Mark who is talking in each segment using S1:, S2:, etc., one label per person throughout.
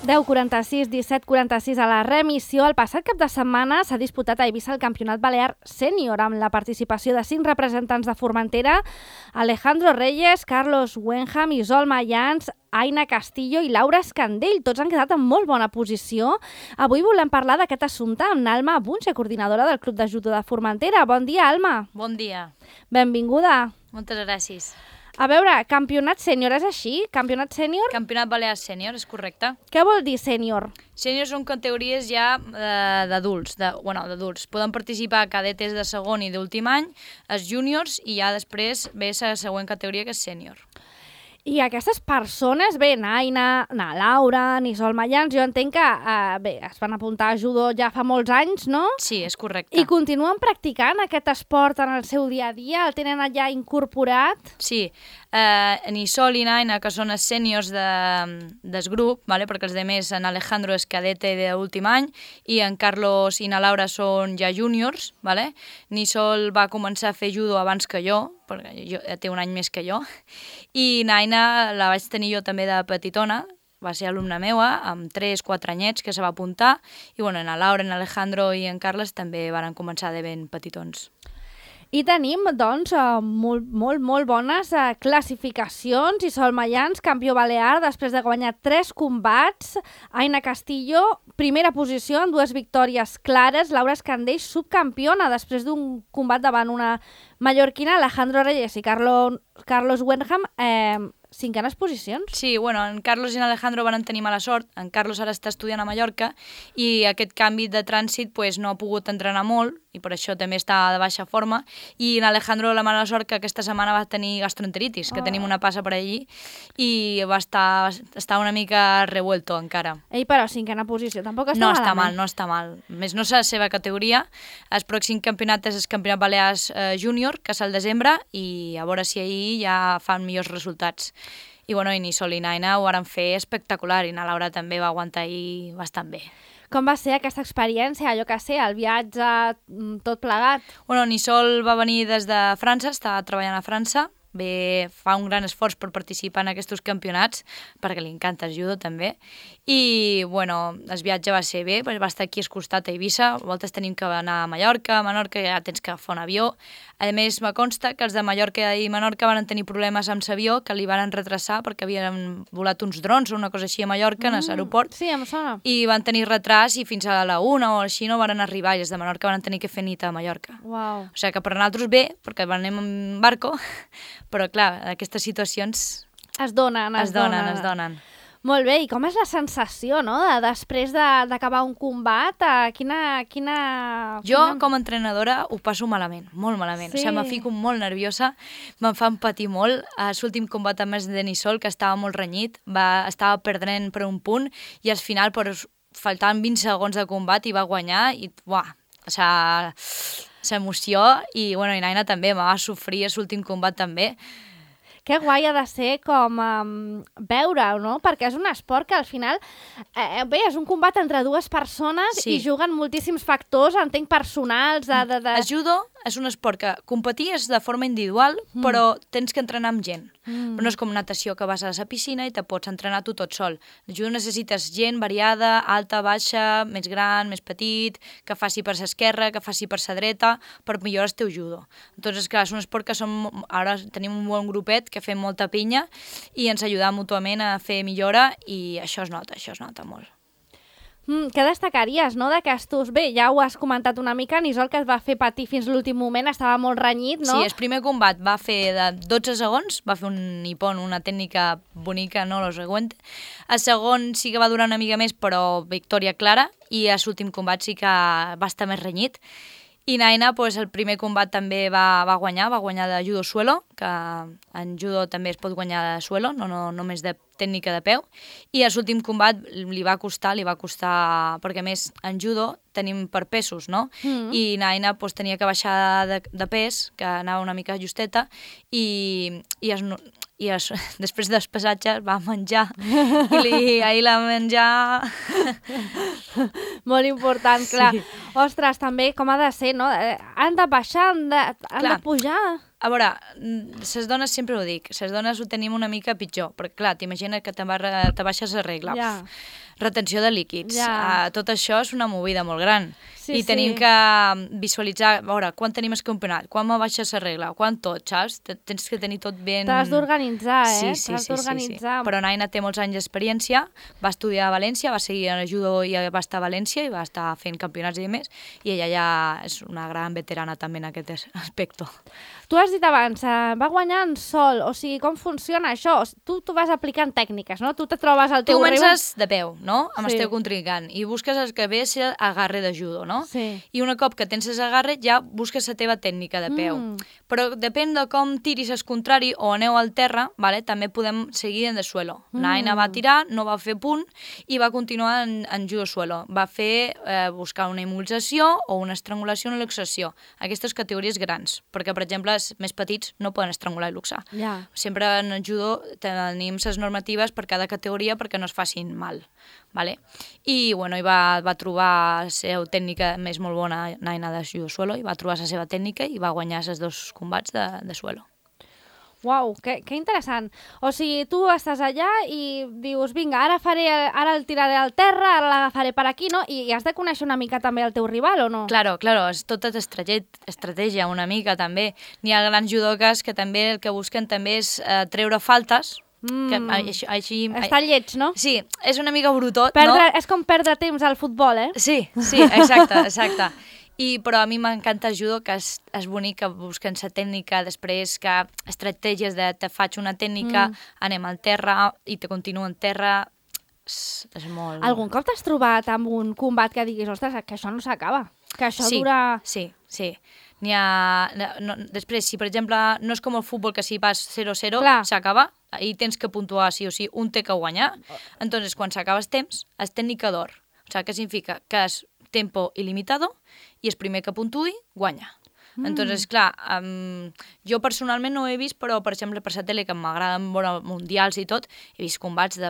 S1: 10:46, 17:46 a la remissió. El passat cap de setmana s'ha disputat a Eivissa el Campionat Balear Sènior amb la participació de 5 representants de Formentera: Alejandro Reyes, Carlos Wenham, Isol Mayans, Aina Castillo i Laura Escandell. Tots han quedat en molt bona posició. Avui volem parlar d'aquest assumpte amb Alma Bunche, coordinadora del Club de Judo de Formentera. Bon dia, Alma.
S2: Bon dia.
S1: Benvinguda.
S2: Moltes gràcies.
S1: A veure, campionat sènior és així? Campionat sènior?
S2: Campionat Balear Sènior, és correcte.
S1: Què vol dir sènior?
S2: Sènior són categories ja d'adults, d'adults. Poden participar cadetes de segon i d'últim any, els júniors, i ja després ve la següent categoria, que és sènior.
S1: I aquestes persones, bé, Aina, Laura, Isol Mayans, jo entenc que es van apuntar a judo ja fa molts anys, no?
S2: Sí, és correcte.
S1: I continuen practicant aquest esport en el seu dia a dia? El tenen allà incorporat?
S2: Sí, en Isol i Aina, que són els sèniors del grup, perquè els altres, en Alejandro és cadete d'últim any i en Carlos i na Laura són ja júniors. N'Isol va començar a fer judo abans que jo, perquè té un any més que jo, i Naina la vaig tenir jo també de petitona, va ser alumna meua, amb 3-4 anyets que se va apuntar, i na Laura, en Alejandro i en Carles també van començar de ben petitons.
S1: I tenim, doncs, molt bones classificacions. Isol Mayans, campió balear, després de guanyar 3 combats. Aina Castillo, primera posició en 2 victòries clares. Laura Escandell, subcampiona, després d'un combat davant una mallorquina. Alejandro Reyes i Carlos Wenham, 5enes posicions.
S2: Sí, en Carlos i en Alejandro van tenir mala sort. En Carlos ara està estudiant a Mallorca i aquest canvi de trànsit no ha pogut entrenar molt i per això també està de baixa forma. I en Alejandro la mala sort que aquesta setmana va tenir gastroenteritis, que tenim una passa per allí, i va estar una mica revuelto encara.
S1: Ei, però 5ena posició tampoc està
S2: malament. No està mal. Més no és la seva categoria. El pròxim campionat és el Campionat Balears Júnior, que és al desembre, i a veure si ahir ja fan millors resultats. I N'Isol i Naina ho van fer espectacular, i na Laura també va aguantar ahir bastant bé.
S1: Com va ser aquesta experiència, el viatge, tot plegat?
S2: N'Isol va venir des de França, està treballant a França, fa un gran esforç per participar en aquests campionats, perquè li encanta el judo també, i el viatge va ser bé, va estar aquí al costat a Eivissa, a voltes tenim que anar a Mallorca ja tens que agafar un avió. A més, me consta que els de Mallorca i Menorca van tenir problemes amb l'avió, que li van retrasar perquè havien volat uns drons o una cosa així a Mallorca, en l'aeroport.
S1: Sí, em sona.
S2: I van tenir retras i fins a la 1 o així no van arribar, i els de Menorca van tenir que fer nit a Mallorca.
S1: Uau.
S2: O sigui que per nosaltres bé, perquè anem en barco, però clar, aquestes situacions
S1: es donen. Molt bé, i com és la sensació, no?, després d'acabar un combat?
S2: Jo, com a entrenadora, ho passo malament, molt malament.
S1: Sí.
S2: O sigui, me fico molt nerviosa, me'n fan patir molt. A l'últim combat amb el Denisol, que estava molt renyit, estava perdent per un punt, i al final, faltant 20 segons de combat, i va guanyar, i l'emoció, i Naina també, me va sofrir a l'últim combat també.
S1: Que guai ha de ser com veure-ho, no? Perquè és un esport que al final, és un combat entre 2 persones, sí, i juguen moltíssims factors, entenc, personals.
S2: El judo és un esport que competir és de forma individual, però tens que entrenar amb gent. Però no és com natació, que vas a la piscina i te pots entrenar tu tot sol. El judo necessites gent variada, alta, baixa, més gran, més petit, que faci per l'esquerra, que faci per la dreta, per millorar el teu judo. Doncs, clar, és un esport que ara tenim un bon grupet que fem molta pinya i ens ajuda mútuament a fer millora, i això es nota molt.
S1: Què destacaries, no, d'aquestos? Bé, ja ho has comentat una mica, N'Isol, que es va fer patir fins l'últim moment, estava molt renyit, no?
S2: Sí, el primer combat va fer de 12 segons, va fer un nippon, una tècnica bonica, no lo següent. El segon sí que va durar una mica més, però victòria clara, i a l'últim combat sí que va estar més renyit. I Naina, el primer combat també va guanyar de judo suelo, que en judo també es pot guanyar de suelo, no només de tècnica de peu, i a l'últim combat li va costar, perquè a més en judo tenim per pesos, no? I Naina tenia que baixar de pes, que anava una mica justeta, i després del pesatge va menjar, i ahir la menjar...
S1: Molt important, clar. Sí. Ostres, també com ha de ser, no? Han de baixar, han de pujar...
S2: A veure, les dones sempre ho dic, les dones ho tenim una mica pitjor, perquè clar, t'imagines que te baixes a regla.
S1: Ja.
S2: Retenció de líquids. Tot això és una movida molt gran. I tenim que visualitzar, a veure, quan tenim el campionat, quan me baixa la regla, quan tot, saps? Tens que tenir tot ben...
S1: T'has d'organitzar,
S2: Sí. Però Naina té molts anys d'experiència, va estudiar a València, va seguir en judo i va estar a València i va estar fent campionats i més, i ella ja és una gran veterana també en aquest aspecte.
S1: Tu has dit abans, va guanyar en sol, o sigui, com funciona això? Tu vas aplicant tècniques, no? Tu te trobes al teu rival...
S2: Tu comences de peu, no? Amb el teu contrincant, i busques el que ve a ser agarre de judo, no?
S1: Sí.
S2: I un cop que tens l'agarre ja busques la teva tècnica de peu. Però depèn de com tiris el contrari o aneu al terra, vale? També podem seguir en de suelo. Naina va tirar, no va fer punt i va continuar en judo suelo. Va fer buscar una immobilització o una estrangulació o una luxació. Aquestes categories grans, perquè per exemple els més petits no poden estrangular i luxar. Sempre en el judo tenim les normatives per cada categoria perquè no es facin mal. Vale? I bueno, va trobar la seva tècnica més molt bona, Naina de judo suelo, i va trobar la seva tècnica i va guanyar els 2 combats de suelo.
S1: Uau, que interessant. O sigui, tu estàs allà i dius, vinga, ara el tiraré al terra, ara l'agafaré per aquí, no? I has de conèixer una mica també el teu rival, o no?
S2: Claro, és tota estratègia una mica també. N'hi ha grans judoques que també el que busquen també és treure faltes.
S1: Està lleig, no?
S2: Sí, és una mica brutot,
S1: no? És com perdre temps al futbol, eh?
S2: Sí, exacte. Però a mi m'encanta el judo, que és bonic, que busquen la tècnica, després que estratègies de te faig una tècnica, anem al terra i te continuo en terra, és molt...
S1: Algun cop t'has trobat amb un combat que diguis, ostres, que això no s'acaba, que això dura...
S2: Sí. Després, si per exemple no és com el futbol que si vas 0-0 s'acaba, i tens que puntuar sí o sí, un té que guanyar, entonces quan s'acaba el temps, és tècnica d'or. O sigui, què significa? Que és tempo ilimitado i el primer que puntuï guanya. Entonces, clar, jo personalment no ho he vist, però per exemple per la tele, que m'agraden veure mundials i tot, he vist combats de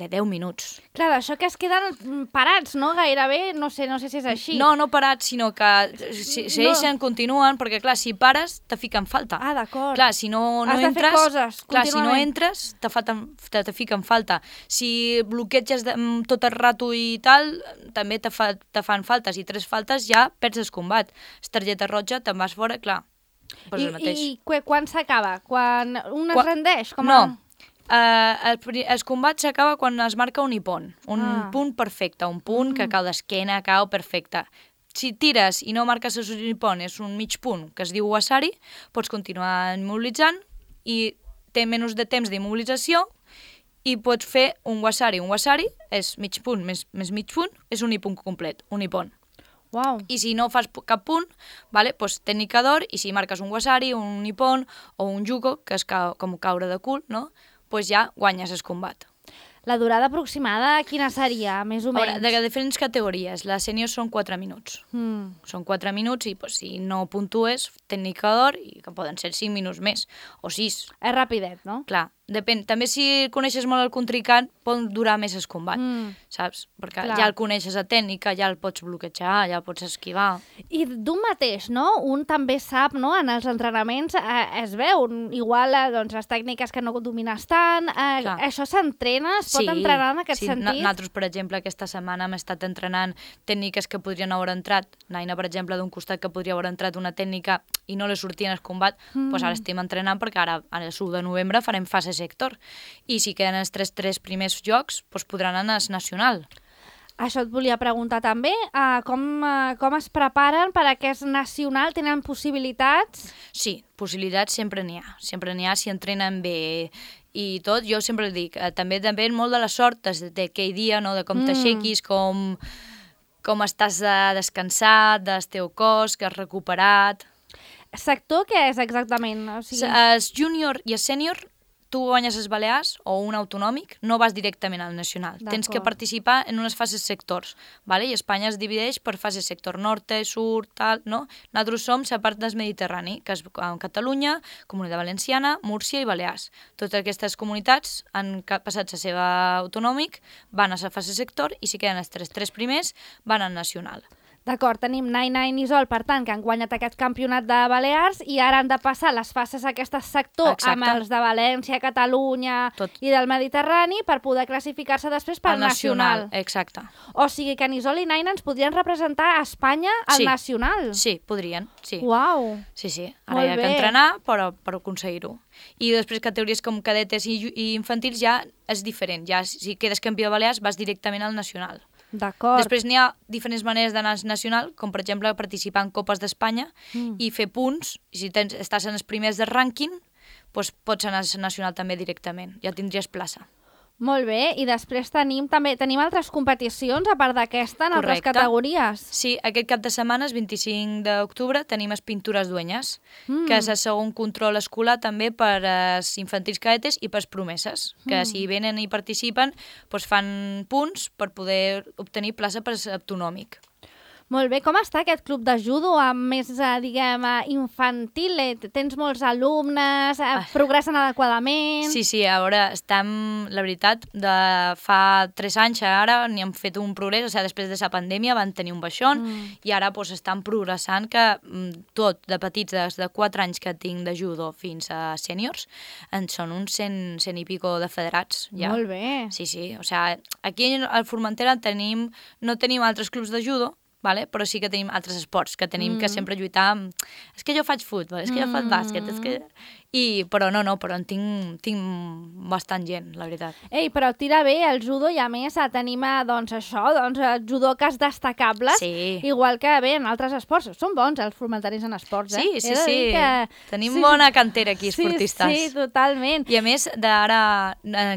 S2: 10 minuts.
S1: Clar, això que es queden parats, no? Gairebé, no sé si és així.
S2: No parats, sinó que segueixen, continuen, perquè clar, si pares, te fiquen falta.
S1: Ah, d'acord.
S2: Clar, si no
S1: entres... Has de fer coses,
S2: clar, si no entres, te fiquen falta. Si bloqueges tot el rato i tal, també te fan faltes, i 3 faltes ja perds el combat. La targeta roja, te'n vas fora, clar, pues el mateix.
S1: I quan s'acaba? Quan un es rendeix?
S2: No. El combat s'acaba quan es marca un ippon, un punt perfecte, un punt que cau d'esquena, cau perfecte. Si tires i no marques el ippon, és un mig punt que es diu wasari, pots continuar immobilitzant i té menys de temps d'immobilització i pots fer un wasari. Un wasari és mig punt més mig punt, és un ippon complet, un ippon.
S1: Wow.
S2: I si no fas cap punt, vale, doncs tècnica d'or, i si marques un wasari, un ippon o un jugo, que és com caure de cul, no? Doncs ja guanyes el combat.
S1: La durada aproximada, quina seria, més o menys?
S2: De diferents categories. Les sèniors són 4 minuts. Són 4 minuts i si no puntues, tècnica d'or, i que poden ser 5 minuts més, o 6.
S1: És rapidet, no?
S2: Clar. Depèn. També si coneixes molt el contrincant, pot durar més el combat, saps? Perquè ja el coneixes a tècnica, ja el pots bloquejar, ja el pots esquivar.
S1: I d'un mateix, no? Un també sap, no? En els entrenaments es veu, igual doncs, les tècniques que no domines tant, això s'entrena, es pot entrenar en aquest sentit?
S2: Nosaltres, per exemple, aquesta setmana hem estat entrenant tècniques que podrien haver entrat, Naina, per exemple, d'un costat que podria haver entrat una tècnica i no li sortia en el combat, doncs ara estem entrenant perquè ara, el 1 de novembre, farem fase sector. I si queden els 3 primers jocs, doncs podran anar al nacional.
S1: Això et volia preguntar també, com es preparen per a aquest nacional? Tenen possibilitats?
S2: Sí, possibilitats sempre n'hi ha. Sempre n'hi ha si entrenen bé i tot. Jo sempre dic, també depèn molt de la sort d'aquell dia, no? De com t'aixequis, com estàs descansat, del teu cos, que has recuperat.
S1: Sector què és exactament? O sigui...
S2: El júnior i el sènior, tu guanyes els Balears o un autonòmic, no vas directament al nacional. Tens que participar en unes fases sectors, vale? I Espanya es divideix per fases sector norte, sud, tal, no? Nosaltres som la part del Mediterrani, que és Catalunya, Comunitat Valenciana, Múrcia i Balears. Totes aquestes comunitats han passat la seva autonòmic, van a la fase sector i si queden els 3 primers van al nacional.
S1: D'acord, tenim Nine i Isol, per tant, que han guanyat aquest campionat de Balears i ara han de passar les fases aquest sector amb els de València, Catalunya i del Mediterrani per poder classificar-se després per nacional.
S2: Exacte.
S1: O sigui que en Isol i Nine ens podrien representar a Espanya al nacional.
S2: Sí, podrien, sí.
S1: Uau!
S2: Sí. Ara hi ha que entrenar per aconseguir-ho. I després categories com cadetes i infantils ja és diferent. Ja si quedes campió de Balears vas directament al nacional.
S1: D'acord.
S2: Després n'hi ha diferents maneres d'anar al nacional, com per exemple participar en Copes d'Espanya i fer punts. I si estàs en els primers del rànquing, doncs pots anar al nacional també directament. Ja tindries plaça.
S1: Molt bé, i després tenim altres competicions, a part d'aquesta, en altres categories.
S2: Sí, aquest cap de setmana, el 25 d'octubre, tenim les pintures duenyes, que és el segon control escolar també per als infantils cadetes i per als promeses, que si venen i participen, doncs fan punts per poder obtenir plaça per autonòmic.
S1: Molt bé, com està aquest club de judo més, diguem, infantil? Tens molts alumnes, progressen adequadament?
S2: Sí, ara estem, la veritat, de fa 3 anys ara n'hi hem fet un progrés, o sigui, després de la pandèmia van tenir un baixón i ara doncs, estan progressant que tot, de petits, des de 4 anys que tinc de judo fins a sèniors, en són uns 100 i pico de federats. Ja.
S1: Molt bé.
S2: Sí, o sigui, aquí al Formentera no tenim altres clubs de judo, vale? Però sí que tenim altres esports, que tenim que sempre lluitar amb... És que jo faig futbol, és que jo faig bàsquet, és que... Però però en tinc bastant gent, la veritat.
S1: Ei, però tira bé el judo i a més tenim, judoques destacables, igual que bé en altres esports. Són bons els formentaris en esports,
S2: Sí. Tenim bona cantera aquí, esportistes.
S1: Sí, totalment.
S2: I a més, d'ara,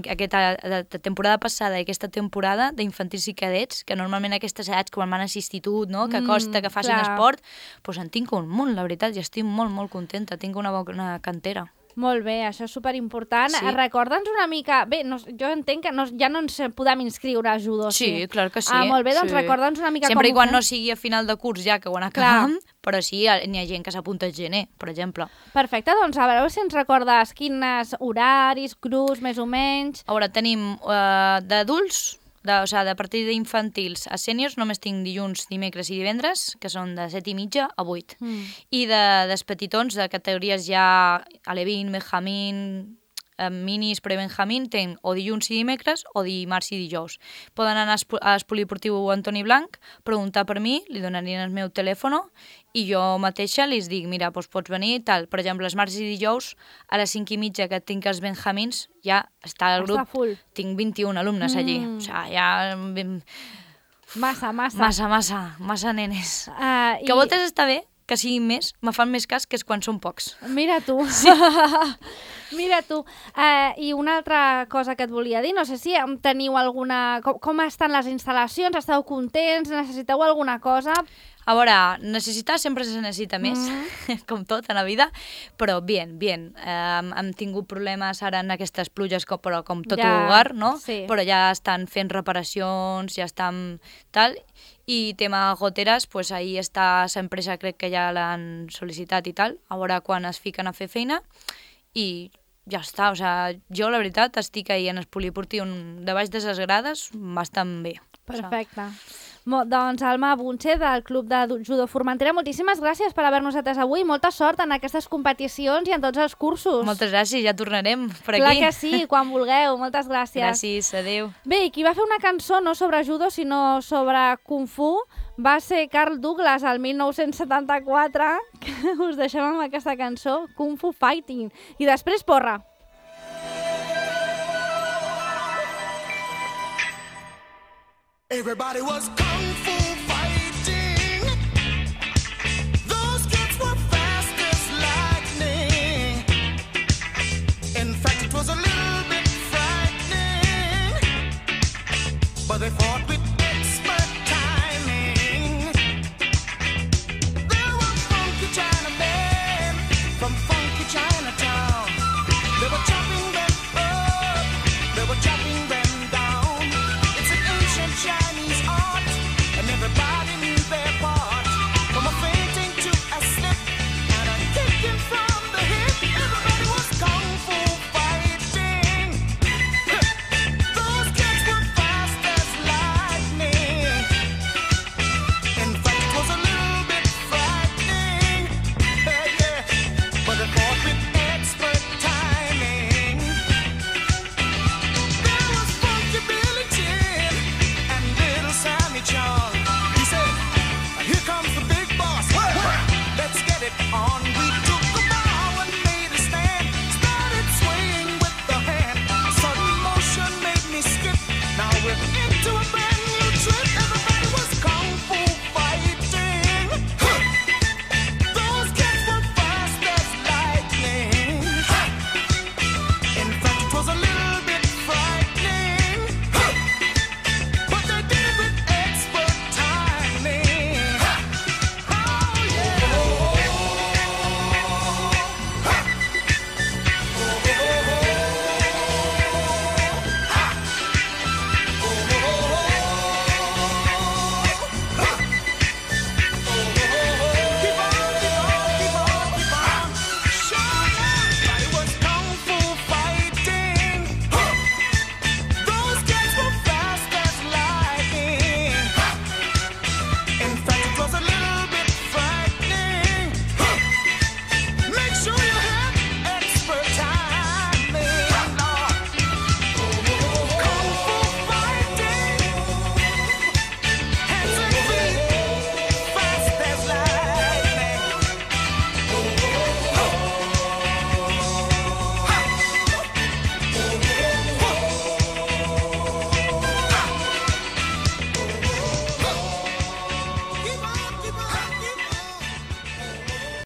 S2: aquesta temporada passada i aquesta temporada d'infantils i cadets, que normalment aquestes edats quan van a l'institut, no?, que costa que facin esport, doncs en tinc un munt, la veritat, i estic molt, molt contenta. Tinc una bona cantera.
S1: Molt bé, això és superimportant. Sí. Recorda'ns una mica... Bé, jo entenc que ja no ens podem inscriure a judo.
S2: Sí, clar que sí.
S1: Molt bé, doncs recorda'ns una mica
S2: sempre com ho fem. Sempre i quan no sigui a final de curs ja, que ho han acabat, però sí, n'hi ha gent que s'apunta al gener, per exemple.
S1: Perfecte, doncs a veure si ens recordes quins horaris, grups, més o menys...
S2: A veure, tenim d'adults... de partir d'infantils a sèniors només tinc dilluns, dimecres i divendres, que són de 7:30 a 8. I dels petitons, de categories ja alevín, benjamín, minis, prebenjamín, tenc o dilluns i dimecres o dimarts i dijous. Poden anar al poliportiu Antoni Blanc, preguntar per mi, li donarien el meu telèfon i jo mateixa li dic, mira, doncs pots venir, tal. Per exemple, els marts i dijous, a les 5:30 que tinc els benjamins, ja està el grup.
S1: Està full.
S2: Tinc 21 alumnes allí. O sigui, ja... Massa nenes. Que a voltes està bé, que siguin més, me fan més cas que és quan són pocs.
S1: Mira tu. Sí. Mira tu. I una altra cosa que et volia dir, no sé si teniu alguna... Com estan les instal·lacions? Esteu contents? Necessiteu alguna cosa?
S2: A veure, necessitar sempre se necessita més, com tot a la vida, però bien. Hem tingut problemes ara en aquestes pluges, però com tot lugar, no? Sí. Però ja estan fent reparacions, ja estan tal... I tema goteres, pues ahí està l'empresa, crec que ja l'han sol·licitat i tal, a veure quan es fiquen a fer feina i ja està, o sigui, jo la veritat estic ahí en el poliportiu de baix de les grades bastant bé.
S1: Perfecte. Doncs Alma Bunche del Club de Judo Formentera, moltíssimes gràcies per haver-nos atès avui, molta sort en aquestes competicions i en tots els cursos.
S2: Moltes gràcies, ja tornarem per aquí.
S1: Clar que sí, quan vulgueu, moltes gràcies.
S2: Gràcies, adéu.
S1: Bé, i qui va fer una cançó no sobre judo sinó sobre Kung Fu va ser Carl Douglas el 1974, que us deixem amb aquesta cançó, Kung Fu Fighting, i després porra.
S3: Everybody was kung fu fighting. Those kids were fast as lightning. In fact, it was a little bit frightening. But they fought with expert timing. There were funky Chinamen from funky Chinatown. They were chopping them up, they were chopping them down. It's an ancient Chinese art, and everybody knew their part. From a fainting to a slip, and a kicking from the hip, everybody was kung fu fighting. Those kids were fast as light. charm.